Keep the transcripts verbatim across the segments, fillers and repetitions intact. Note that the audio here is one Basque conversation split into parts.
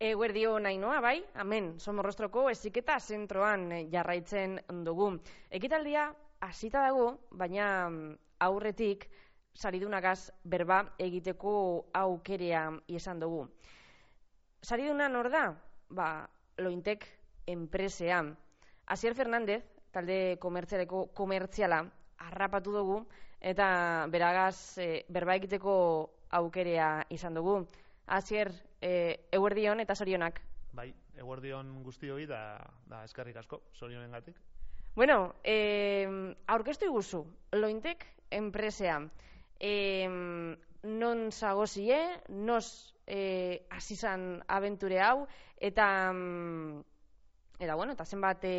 Eguerdio Nainoa, bai, hemen Somorrostroko heziketa zentroan jarraitzen dugu. Ekitaldia hasita dago, baina aurretik saridunagaz berba egiteko aukerea izan dugu. Sariduna nor da? Ba, Lointek enpresea. Asier Fernández, talde komertzialeko komertziala, harrapatu dugu, eta beragaz e, berba egiteko aukerea izan dugu. Asier, e, eguerdion eta zorionak. Bai, eguerdion guztioi da, da eskerrik asko, zorionengatik. Bueno, e, aurkeztu iguzu, Lointek enpresea. E, non zagozie, nos e, asizan abenture hau, eta, eta bueno, eta zenbat e,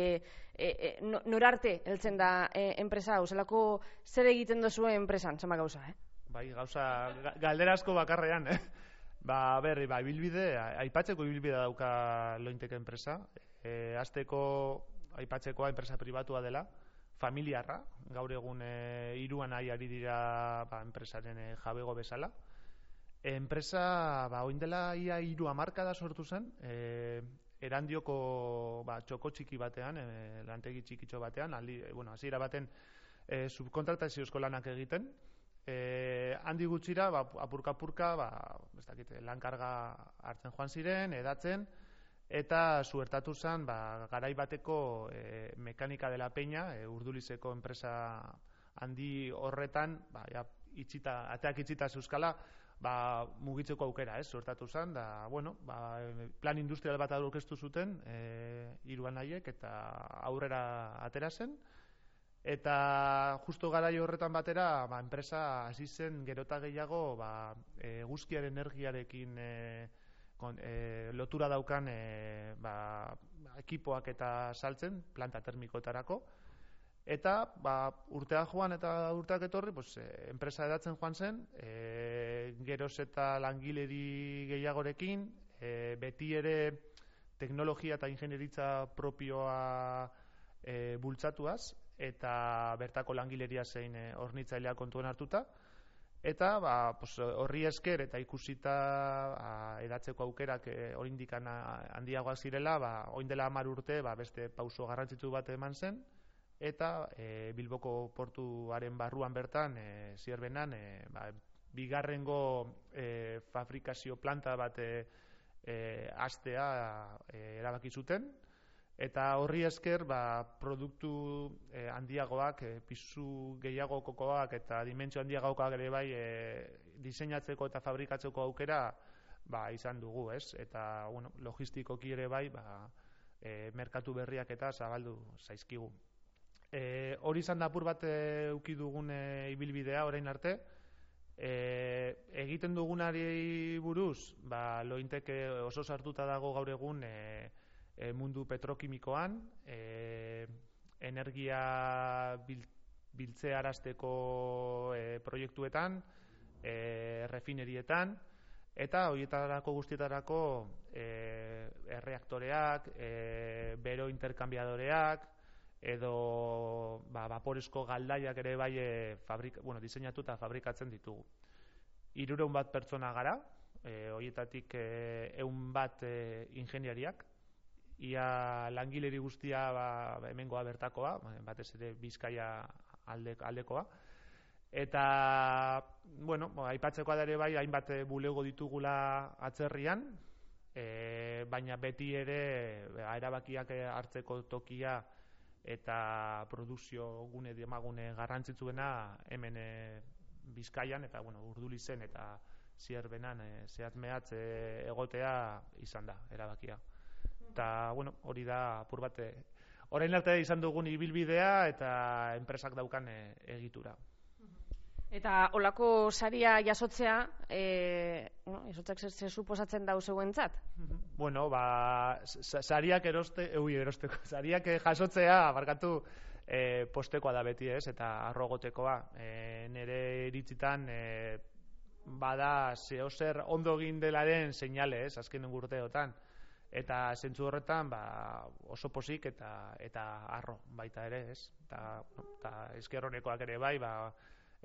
e, norarte heltzen da e, enpresa hau, zelako zer egiten dozu enpresan, zenbat gauza, eh? Bai, gauza, galdera asko bakarrean, eh? Ba, berri, ba, ibilbide, aipatzeko ibilbidea dauka Lointek enpresa. E, azteko aipatzekoa enpresa pribatua dela, familiarra, gaur egun e, hiruan nahi ari dira ba, enpresaren e, jabego bezala. E, enpresa, ba, oin dela ia hiru hamarkada sortu zen, e, Erandioko ba, txoko txiki batean, e, lantegi txikitxo batean, aldi, bueno, hasiera baten e, subkontrataziozko lanak egiten. Eh, handi gutxira, ba, apurka-apurka, ba, ez dakit, lankarga hartzen joan ziren, edatzen, eta suertatu zen, ba, garai bateko e, mekanika dela peña, e, Urdulizeko enpresa handi horretan, ba, ja, itxita, ateak itxita zeuskala, ba, mugitzeko aukera, ez, suertatu zen, da, bueno, ba, plan industrial bat aurkeztu zuten, e, hiruan haiek, eta aurrera atera zen. Eta justo garai horretan batera, ba, enpresa hasi zen gerota gehiago ba, eguzkiaren energiarekin e, kon, e, lotura daukan e, ba, ekipoak eta saltzen, planta termikoetarako. Eta ba, urtea joan eta urteak etorri, pues, e, enpresa edatzen joan zen, e, geroz eta langileri gehiagorekin, e, beti ere teknologia eta ingenieritza propioa e, bultzatuaz, eta bertako langileria zein e, hornitzailea kontuan hartuta, eta ba, pues, horri esker eta ikusita a, edatzeko aukerak e, oraindik handiagoak zirela, ba, orain dela hamar urte ba, beste pauso garrantzitsu bat eman zen, eta e, Bilboko portuaren barruan bertan, e, Zierbenan, e, ba, bigarrengo e, fabrikazio planta bat e, e, hastea e, erabaki zuten. Eta horri esker ba, produktu eh, handiagoak, eh, pisu gehiagokoak eta dimentsio handiagokoak ere bai eh, diseinatzeko eta fabrikatzeko aukera ba, izan dugu, ez? Eta bueno, logistikoki ere bai ba, eh, merkatu berriak eta zabaldu zaizkigu. Eh, hori izan da apur bat eduki dugun eh, ibilbidea orain arte. Eh, egiten dugunari buruz, ba, Lointek oso sartuta dago gaur egun eh, E, mundu petrokimikoan, e, energia bil, biltzearazteko e, proiektuetan, e, refinerietan, eta horietarako guztietarako e, erreaktoreak, e, bero interkambiadoreak, edo ba, vaporezko galdaiak ere bai e, fabrika, bueno, diseinatu eta fabrikatzen ditugu. Hirurehun bat pertsona gara, e, horietatik e, ehun bat e, ingeniariak, ia langileri guztia ba, hemengoa bertakoa, batez ere Bizkaia alde, aldekoa. Eta, bueno, aipatzekoa da ere bai, hainbat bulego ditugula atzerrian, e, baina beti ere erabakiak hartzeko tokia eta produkzio gune demagune garrantzitsuena hemen e, Bizkaian, eta bueno, Urdulizen eta Zierbenan e, zehatz-mehatz e, egotea izan da erabakia. Eta, bueno, hori da apur bat, orain arte izan dugun ibilbidea eta enpresak daukan e, egitura. Eta olako saria jasotzea, e, bueno, jasotzak zer suposatzen dau zeuentzat? Bueno, ba, sariak eroste, eui erosteko, sariak jasotzea, barkatu, e, postekoa da beti ez, eta arrogotekoa. E, nire iritzitan, e, bada zehozer ondo egin delaren seinale ez, azken urteotan. Eta zentzu horretan ba, oso pozik eta eta harro baita ere, ez? Eta, eta esker honekoak ere bai, ba,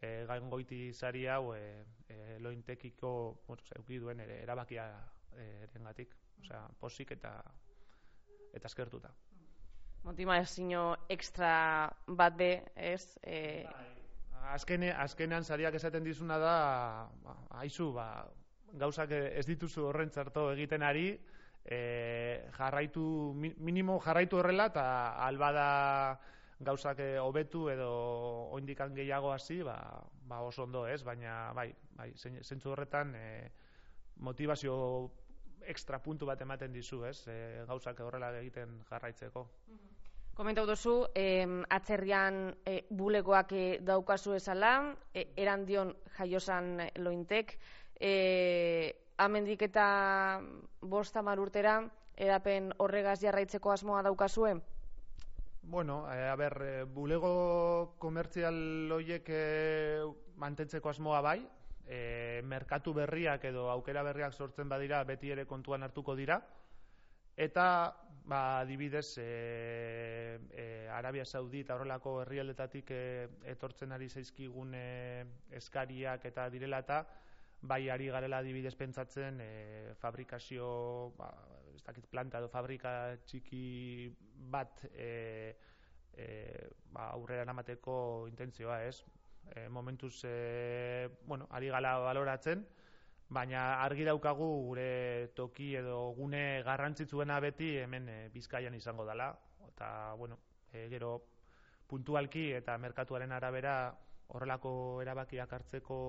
e, gaingoiti sari hau e, e, lointekiko bueno, euki duen ere erabakia erengatik, osea, posik eta eta eskertuta. Motivazio extra bat be, ez? E... Azkene, azkenean sariak esaten dizuna da, ba, aizu, ba, gauzak ez dituzu horren txarto egiten ari, e, jarraitu, minimo jarraitu horrela, eta albada gauzak hobetu edo oindikan gehiago hasi, ba, ba oso ondo ez, baina bai, bai, zentzu horretan e, motivazio extra puntu bat ematen dizu, ez, e, gauzak horrela egiten jarraitzeko. Komentau duzu, eh, atzerrian eh, bulegoak eh, daukazu esala, eh, erandion jaiosan lointek, eh, amendik eta bost hamar urtera, edapen horregaz jarraitzeko asmoa daukazue? Bueno, eh, a ber, eh, bulego komertzial horiek eh, mantentzeko asmoa bai, eh, merkatu berriak edo aukera berriak sortzen badira beti ere kontuan hartuko dira, eta ba, adibidez, e, e, Arabia Saudita horrelako herrialdetatik e, etortzen ari zaizkigun e, eskariak eta direla eta bai ari garela adibidez pentsatzen e, fabrikazio, ba, ez dakit planta edo fabrika txiki bat e, e, ba, aurrera namateko intentzioa, ez? E, momentuz, e, bueno, ari gala baloratzen, baina argi daukagu gure toki edo gune garrantzitsuena beti hemen e, Bizkaian izango dela, eta bueno, e, gero puntualki eta merkatuaren arabera horrelako erabakiak hartzeko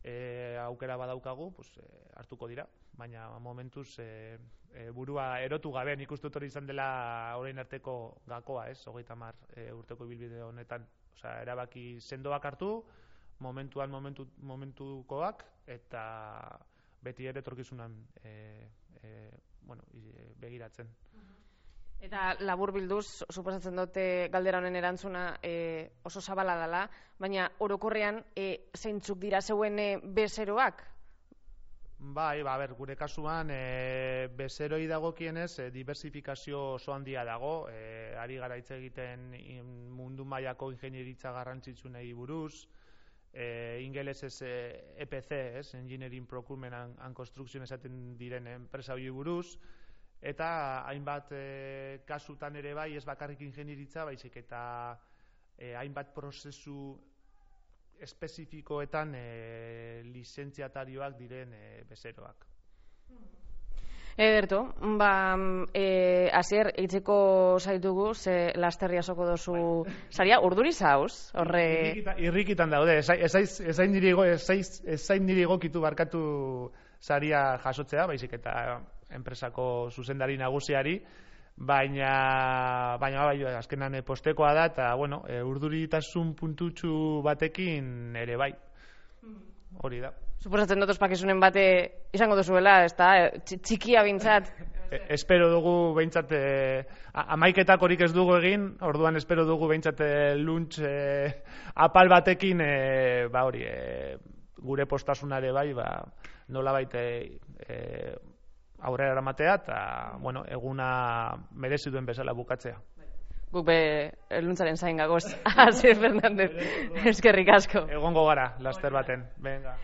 e, aukera badaukagu, pues, e, hartuko dira, baina momentuz e, e, burua erotu gabe, nik uste dut hori izan dela orain arteko gakoa, ez, hogeita hamar e, urteko ibilbide honetan, osea, erabaki sendoak hartu, momentuan momentu, momentukoak eta beti ere etorkizunan e, e, bueno, begiratzen. Eta labur bilduz, suposatzen dute galdera honen erantzuna e, oso zabala dela, baina orokorrean e, zeintzuk dira zeuen e, bezeroak? Bai, ba, ber, gure kasuan e, bezeroi dagokienez e, diversifikazio oso handia dago, e, ari gara hitz egiten mundu mailako ingenieritza garrantzitsunei buruz, E, ingelesez e, E P C, ez, Engineering Procurement and, and Construction esaten diren enpresa hori buruz, eta hainbat e, kasutan ere bai, ez bakarrik ingenieritza, baizik eta e, hainbat prozesu espezifikoetan e, lizentziatarioak diren e, bezeroak. Ederto, ba, e, Asier, eitzeko zaitugu, ze lasterria soko dozu saria, urduri zauz, horre... Irrikitan, irrikitan daude, ezain niri egokitu barkatu saria jasotzea, baizik eta enpresako zuzendari nagusiari, baina, baina bai, azkenan postekoa da, eta, bueno, e, urduritasun puntutxu batekin ere bai, hori da. Suposatzen dut ospakizunen bate izango duzuela, ez da, txikia bintzat. E, espero dugu behintzat, e, amaiketak horik ez dugu egin, orduan espero dugu behintzat lunch e, apal batekin, e, ba hori, e, gure postasunare bai, ba, nola baite e, aurrera eramatea, eta, bueno, eguna merezi duen bezala bukatzea. Guk be luntzaren zain gagoz. Asier Fernández, eskerrik asko. Egongo gara, laster baten. Venga.